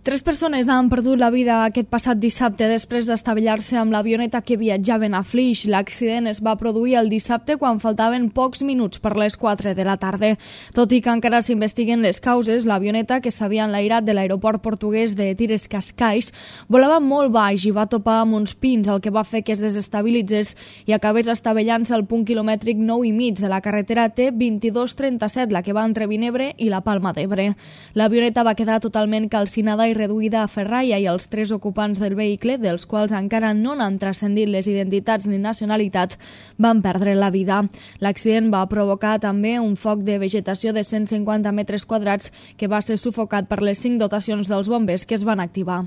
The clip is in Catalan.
3 persones han perdut la vida aquest passat dissabte després d'estavellar-se amb l'avioneta que viatjaven a Flix. L'accident es va produir el dissabte quan faltaven pocs minuts per les 4 de la tarda. Tot i que encara s'investiguen les causes, l'avioneta, que s'havia enlairat de l'aeroport portuguès de Tires-Cascais, volava molt baix i va topar amb uns pins, el que va fer que es desestabilitzés i acabés estavellant-se al punt quilomètric 9,5 de la carretera T2237, la que va entre Vinebre i la Palma d'Ebre. L'avioneta va quedar totalment calcinada i reduïda a ferralla i els 3 ocupants del vehicle, dels quals encara no n'han transcendit les identitats ni nacionalitat, van perdre la vida. L'accident va provocar també un foc de vegetació de 150 metres quadrats que va ser sufocat per les 5 dotacions dels bombers que es van activar.